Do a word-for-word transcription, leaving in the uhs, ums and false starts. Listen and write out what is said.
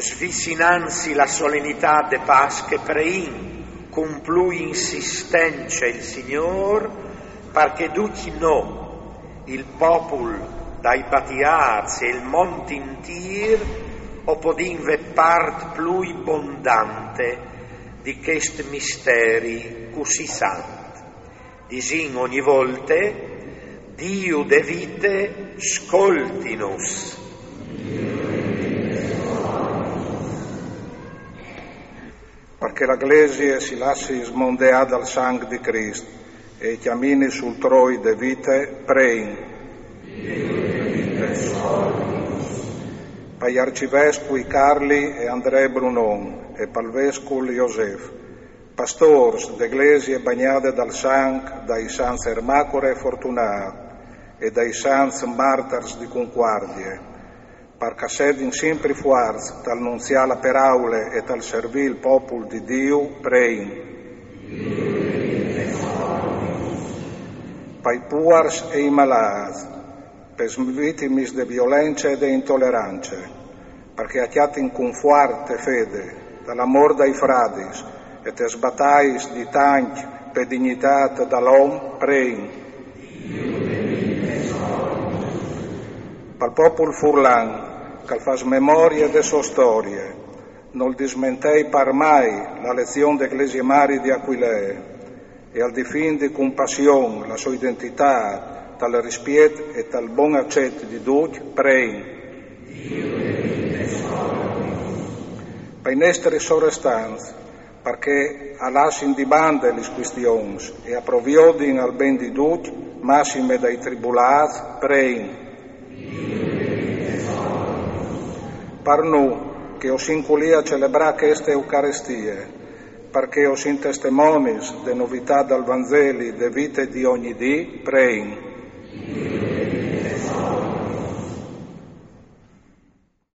Svicinantsi la solenitât de Pasche, preìn cun plui insistence il Signôr, par che ducj nô, il popul dai batiâts e il mont intîr, o podìn vê part plui bondante di chest misteri cussì sant. Disìn ogni volte: Diu de vite, scoltinus. Par che la Glesie si lassi smondeâ dal sanc di Crist e cjamini sul troi de vite, preìn. Pai arcivescui Carli e Andree Brunon e pal vescul Josef, pastôrs de Glesie bagnade dal sanc dai sants Ermacore e Fortunât e dai sants martars di Cuncuardie, par ch'a sedin simpri fuarts tal nunziâ la peraule e tal servî il popul di Diu, preìn. Pai puars e i malâts, pes vitimis de violence e de intolerance, par che a cjatin cunfuart e fede, tal amôr dai fradis, e tes batais di tancj pe dignitât dal om, preìn. Pal popul furlan, ch'al fâs memorie de sô storie, nol dismentei par mai la lezion de Glesie Mari di Aquilee, e al difindi cun passion la sô identitât, tal rispiet e tal bon acet di ducj, preìn. Pai nestris sorestants, par che a lassin di bande lis cuistions e a proviodin al ben di ducj, massime dai tribulâts, preìn. Par nô, che o sin culì a celebrâ cheste Eucarestie, par che o sin testemonis de novitât dal Vanzeli de vite di ogni dì, preìn.